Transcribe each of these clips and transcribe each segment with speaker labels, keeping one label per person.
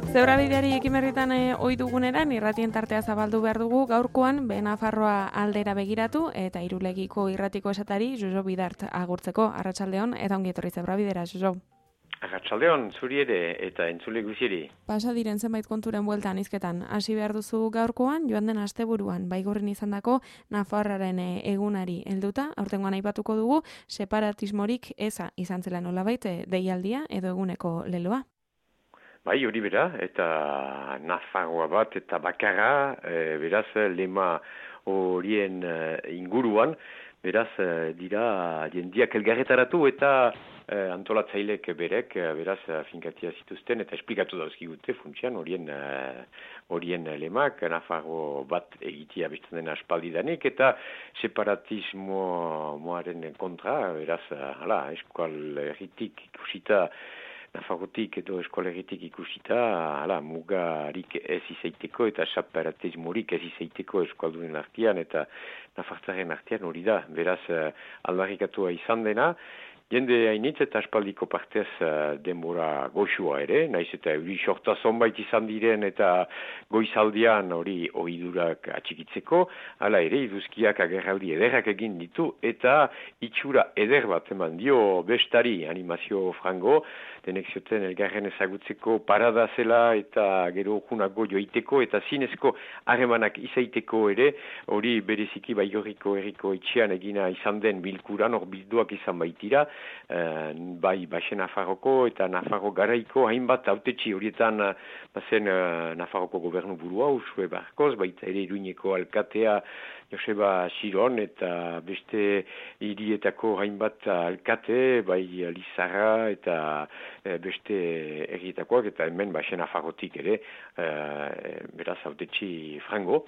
Speaker 1: Zebrabideari ekimerritan ohi duguneran irratien tartea zabaldu behar dugu gaurkoan Nafarroa aldera begiratu eta Irulegiko irratiko esatari Jojo Bidart agurtzeko. Arratsaldeon eta ongi etorri Zebrabidera, Jojo.
Speaker 2: Arratsaldeon, zuri ere eta entzule guztieri.
Speaker 1: Pasa diren zenbait konturen bueltan hizketan hasi behar duzu gaurkoan, joan den asteburuan Baigorrin izandako Nafarraren egunari helduta, aurtengoan aipatuko dugu separatismorik eza izan zela nolabait deialdia edo eguneko leloa.
Speaker 2: Bai, hori bera, eta Nafarroa bat eta bakarra, beraz, lema horien inguruan, beraz, dira jendiak elgarretaratu eta antolatzailek berek, beraz, finkatia zituzten eta esplikatu dauzkigute funtsian horien lemak, Nafarro bat egitea bestan den aspaldidanik eta separatismoaren kontra, beraz, eskual herritik ikusita, Nafarrotik edo eskolegitik ikusita, mugarik ez izaiteko eta separatismorik ez izaiteko eskualdunen artean eta Nafartzaren artean hori da. Beraz, aldarrikatua izan dena, jende hainitz eta aspaldiko partez denbora goxua ere, naiz eta euri sorta zonbait izan diren eta goizaldian hori ohidurak atxikitzeko, hala ere iduzkiak agerraldi ederrak egin ditu eta itxura eder bat eman dio bestari animazio frango, denek zioten elgarren ezagutzeko parada zela eta gero junago joiteko eta zinezko harremanak izaiteko ere, hori bereziki Baigorriko herriko etxean egina izan den bilkuran, hor bilduak izan baitira, bai Baxe Nafarroko eta Nafarro garaiko hainbat hautetsi horietan bazen Nafarroko gobernu burua, Usue Barkoz, baita ere Iruñeko alkatea Joseba Xiron eta beste hirietako hainbat alkate, bai Lizarra eta beste herrietakoak eta hemen Baxe Nafarrotik ere, beraz hautetsi frango.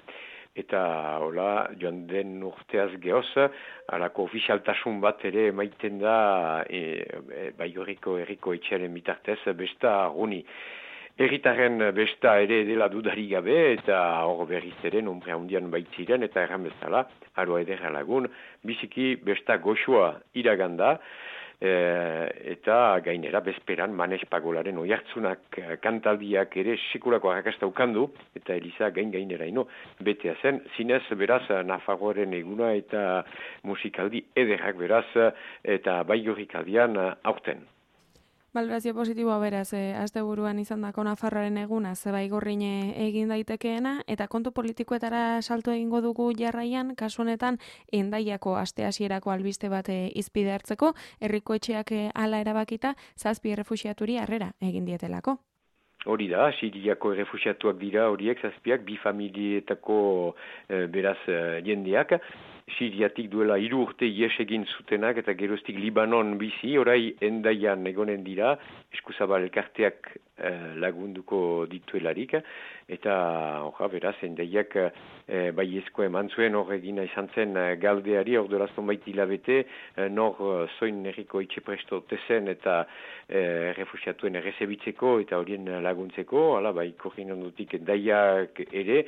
Speaker 2: Eta hola, joan den urteaz gehoz, alako ofizialtasun bat ere emaiten da Baigorriko herriko etxearen bitartez besta guni. Herritarren besta ere dela dudari gabe eta hor berriz ere nombre handian baitziren eta erran bezala, aroa ederra lagun, biziki besta goxua iraganda, eta gainera bezperan Manes Pagolaren oihartzunak kantaldiak ere sekulako arrakasta ukandu eta Eliza gainera ino betea zen, zinez beraz Nafarroaren eguna eta musikaldi ederrak beraz eta Baigorrik aldian aurten.
Speaker 1: Balorazio positiboa beraz, asteburuan izandako Nafarroaren eguna Baigorrin egin daitekeena eta kontu politikoetara salto egingo dugu jarraian, kasu honetan Hendaiako aste hasierako albiste bat hizpide hartzeko, herriko etxeak hala erabakita 7 errefuxiaturi harrera egin dietelako.
Speaker 2: Hori da, Siriako errefuxiatuak dira horiek 7, 2 familietako beraz jendeak. Siriatik duela 3 urte ies egin zutenak eta geroztik Libanon bizi, orai Hendaian egonen dira, eskuzabal elkarteak lagunduko dituelarik, eta beraz Hendaiak baiezko eman zuen hor egina izan zen galdeari, hor dolazton baiti hilabete, nor zoin herriko etxe presto tezen eta refusiatuen errezebitzeko eta horien laguntzeko, bai korrin ondutik Hendaiak ere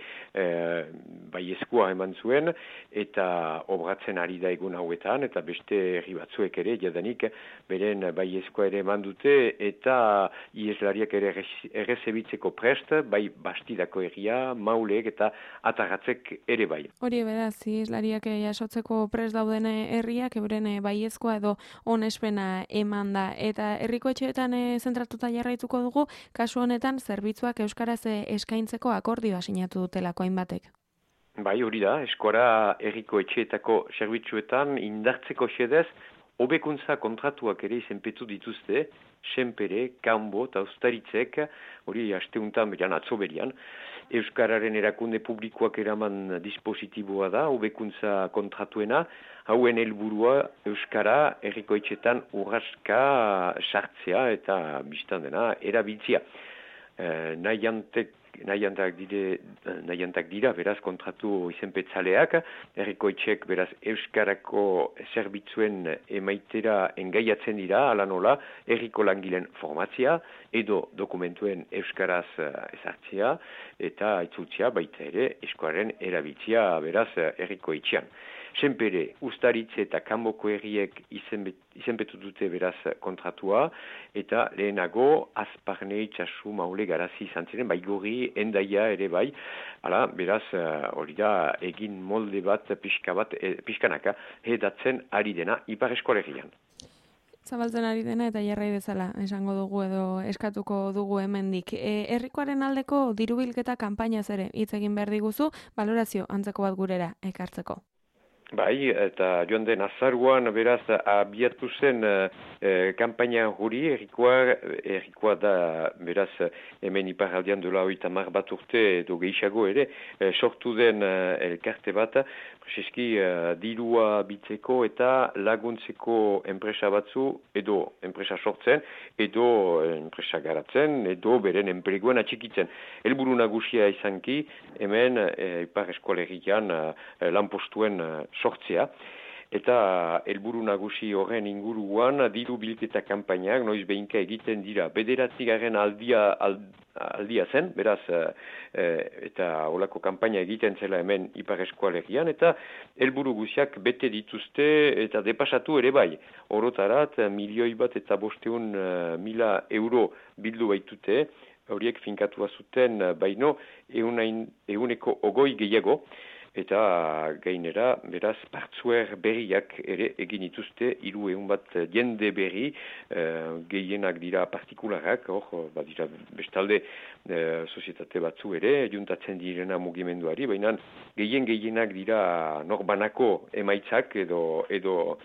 Speaker 2: baiezkoa eman zuen, eta obratzen ari da egun hauetan, eta beste herri batzuek ere, jadanik beren baiezkoa ere eman dute, eta ieslariak ere errezebitzeko prest, bai Bastidako herria, Maulek eta Atarratzek ere bai.
Speaker 1: Hori beraz, ieslariak jasotzeko prest dauden herriak, euren baiezkoa edo onespena eman da, eta herriko etxeetan zentratuta jarraituko dugu, kasu honetan zerbitzuak euskaraz eskaintzeko akordioa sinatu dutelako hainbatek.
Speaker 2: Bai, hori da, eskora herriko etxeetako zerbitzuetan indartzeko xedez, hobekuntza kontratuak ere izenpetu dituzte, Senpere, Kanbo eta Ustaritzek, hori asteuntan beran atzoberian, Euskararen erakunde publikoak eraman dispositiboa da, hobekuntza kontratuena, hauen helburua Euskara herriko etxeetan urraska sartzea eta biztan dena erabiltzea. Nahiantak dira, beraz, kontratu izenpetzaleak, herriko etxek, beraz, Euskarako zerbitzuen emaitera engaiatzen dira, ala nola, herriko langileen formatzea, edo dokumentuen Euskaraz ezartzea, eta aitzultzea baita ere, eskuaren erabiltzea, beraz, herriko etxean. senpere, Uztaritze eta Kanboko herriek izenpetu dute beraz kontratua, eta lehenago Azparne, Itxasu, Maule, Garazi izan ziren, Baigorri, Hendaia ere bai, hala, beraz, hori da, egin molde bat, pixkanaka, hedatzen ari dena Ipar Eskolegian.
Speaker 1: Zabaltzen ari dena eta jarrai bezala esango dugu edo eskatuko dugu hemendik. Herrikoaren aldeko dirubilketa kanpainaz ere hitz egin behar diguzu, balorazio antzeko bat gurera ekartzeko.
Speaker 2: Bai, eta joan den azaruan beraz abiatu zen kanpaina hori, errikoa da beraz hemen iparraldean dola 30 bat urte edo gehiago ere, sortu den elkarte bat, prezeski dirua bitzeko eta laguntzeko enpresa batzu edo enpresa sortzen, edo enpresa garatzen, edo beren enpleguan atxikitzen. Helburu nagusia izanki, hemen Ipar Eskolegian lanpostuen sortzea, eta helburu nagusi horren inguruan diru bilketa kanpainak noiz behinka egiten dira. 9. aldia zen, beraz, eta olako kanpaina egiten zela hemen Ipar Eskolegian, eta helburu guziak bete dituzte eta depasatu ere bai. Orotarat, 1.500.000 euro bildu baitute, horiek finkatua zuten baino 100% gehiago, eta gainera, beraz, partzuer berriak ere egin dituzte, 300 bat jende berri, gehienak dira partikularrak, dira bestalde sozietate batzu ere, juntatzen direna mugimenduari, baina gehienak dira norbanako emaitzak edo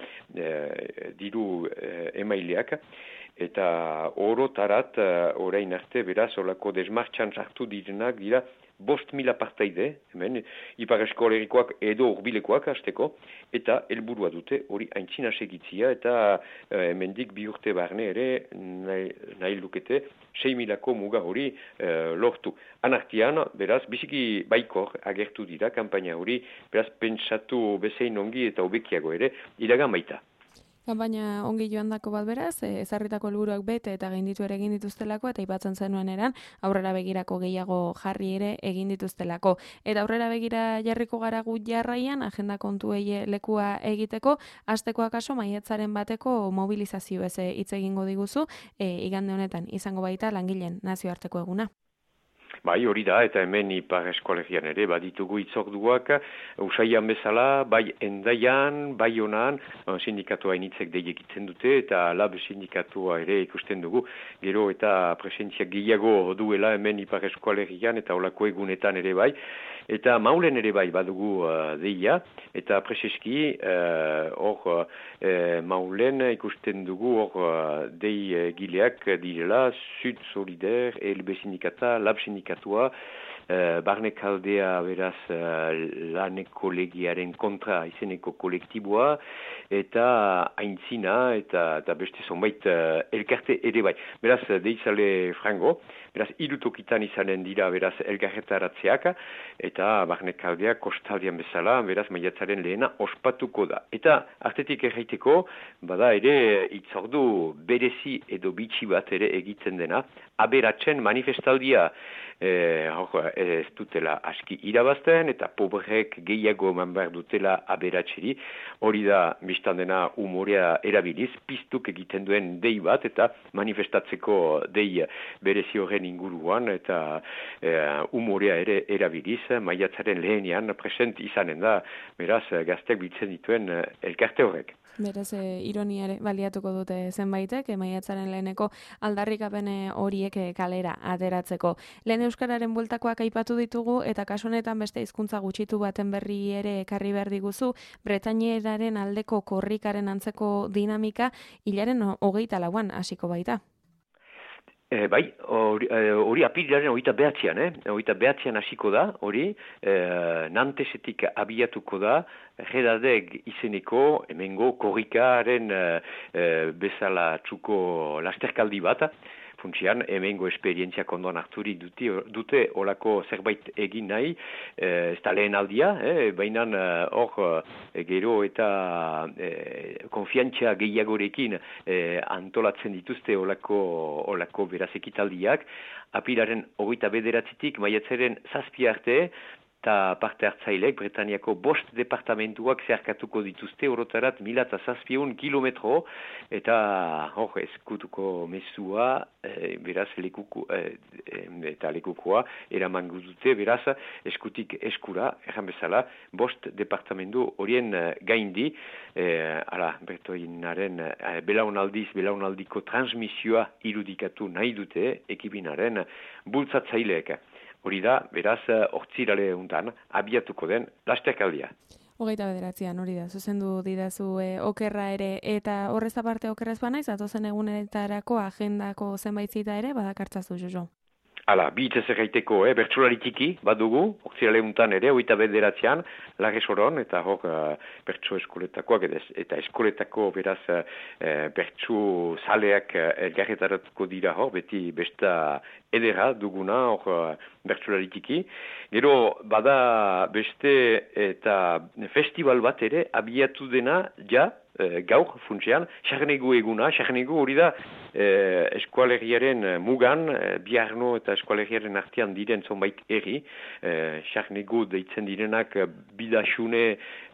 Speaker 2: diru emaileak, eta orotarat, orain arte, beraz, olako desmartxan sartu direnak dira 5.000 partaide, hemen, Ipar Eskolegikoak edo urbilekoak hasteko, eta helburua dute hori aintzina segitzia, eta hemendik 2 urte barne ere nahi lukete 6.000ko muga hori lortu. Anartian, beraz, biziki baikor agertu dira kanpaina hori, beraz, pentsatu bezein ongi eta hobekiago ere, iragan baita.
Speaker 1: Kanpaina ongi joandako bat beraz, ezarritako helburuak bete eta gainditu ere egin dituztelako, eta aipatzen zenuen eran, aurrera begirako gehiago jarri ere egin dituztelako. Eta aurrera begira jarriko gara gu jarraian, agenda kontuei lekua egiteko, hasteko akaso maiatzaren bateko mobilizazio ez hitz egingo diguzu, igande honetan izango baita langileen nazioarteko eguna.
Speaker 2: Bai, hori da, eta hemen Ipar Eskolegian ere, baditugu itzorduak, usaian bezala, bai Hendaian, bai Honan, sindikatua initzek deiekitzen dute, eta lab sindikatua ere ikusten dugu, gero eta presentzia gehiago duela hemen Ipar Eskolegian, eta olako egunetan ere bai, eta Maulen ere bai badugu deia, eta preseski, Maulen ikusten dugu, dei gileak direla, Sud Solidaire, ELB sindikata, lab sindikatua, Barnekaldea beraz laneko legiaren kontra izeneko kolektiboa, eta aintzina, eta beste zonbait elkarte ere bai. Beraz, deitzale frango, beraz, irutokitan izanen dira beraz elkarretaratzeak, eta Barnekaldea kostaldian bezala, beraz, maiatzaren lehena ospatuko da. Eta, artetik erraiteko, bada ere itzordu berezi edo bitxi bat ere egiten dena, aberatzen manifestaldia, ez dutela aski irabazten, eta pobrek gehiago eman behar dutela aberatzeri, hori da biztan dena umorea erabiliz, piztuk egiten duen dei bat, eta manifestatzeko dei berezi horren inguruan, eta umorea ere erabiliz, maiatzaren lehenean present izanen da, beraz gaztek biltzen dituen elkarte horrek.
Speaker 1: Beraz, ironiare baliatuko dute zenbaitek, maiatzaren leheneko aldarrikapen horiek kalera ateratzeko. Lehen euskararen bueltakoak aipatu ditugu, eta kasu honetan beste hizkuntza gutxitu baten berri ere ekarri behar diguzu, Bretainieraren aldeko korrikaren antzeko dinamika, hilaren 24an hasiko baita.
Speaker 2: Bai, hori apirilaren 29an, 29an hasiko da, hori, Nantesetik abiatuko da, Redadeg izeneko, hemengo korrikaren bezala txuko lasterkaldi bat, funtsian, hemengo esperientziak ondoan harturi dute olako zerbait egin nahi, ez da lehen aldia, baina hor gero eta konfiantzia gehiagorekin antolatzen dituzte olako beraz ekitaldiak, apilaren 29tik maiatzaren 7 arte, eta parte hartzaileek Bretaniako 5 departamentuak zeharkatuko dituzte orotarat 1.700 kilometro, eta hor eskutuko mezua, beraz eta lekukoa eramango dute, beraz eskutik eskura, erran bezala, 5 departamentu horien gaindi, Bretoinaren belaunaldiko transmisioa irudikatu nahi dute ekibinaren bultzatzaileek. Hori da, beraz, hortzirale untan, abiatuko den lasterkaldia.
Speaker 1: 29an hori da, zuzendu didazu okerra ere, eta horrez aparte okerrez banaiz, atozen egunetarako agendako zenbait zita ere, badakartzazu, Jojo.
Speaker 2: Hala, bi hitzez erraiteko, bertsulari txiki, badugu, hortzirale untan ere, 29an, Lagesoron, eta hor bertsu eskoletakoak, eta eskoletako beraz bertsu zaleak elgarretaratuko dira hor, beti besta edera duguna, hor bertsulari txiki. Gero, bada beste eta festival bat ere, abiatu dena, ja, gaur funtsean, Sarnegu eguna, Sarnegu hori da eskualeriaren mugan, Biarno eta eskualeriaren artean diren zonbait erri, Sarnegu deitzen direnak Bidaxune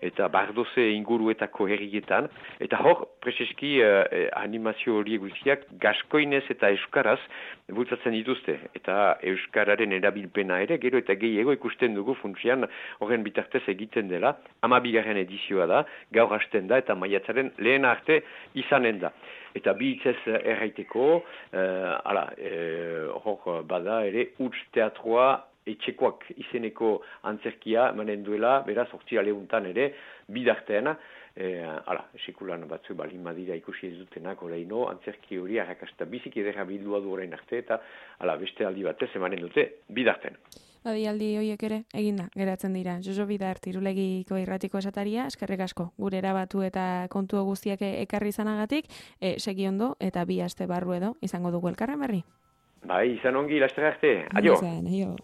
Speaker 2: eta Bardoze inguruetako herrietan, eta hor, preseski animazio horiek guztiak gaskoinez eta euskaraz bultzatzen dituzte, eta euskararen erabilpena ere, gero eta gehiago ikusten dugu funtsean horren bitartez egiten dela, 12. edizioa da, gaur hasten da, eta maiatzaren lehen arte izanen da. Eta bi hitzez erraiteko, hor bada ere, Huts teatroa etxekoak izeneko antzerkia manen duela, beraz, hortzirale untan ere, bidartean, sekulan batzu balin madira ikusi ez dutenak oraino, antzerki hori arrakasta bizik edera bildua du orain arte, eta beste aldi batez emanen dute bidartean.
Speaker 1: Aldi horiek ere, eginda, geratzen dira. Jojo Bidart, Irulegiko irratiko esataria, eskerrik asko, gure erabatu eta kontu guztiak ekarri izanagatik, segi ondo eta 2 aste barru edo izango dugu elkarren berri.
Speaker 2: Bai, izan ongi, laster arte. Adio.
Speaker 1: Adio.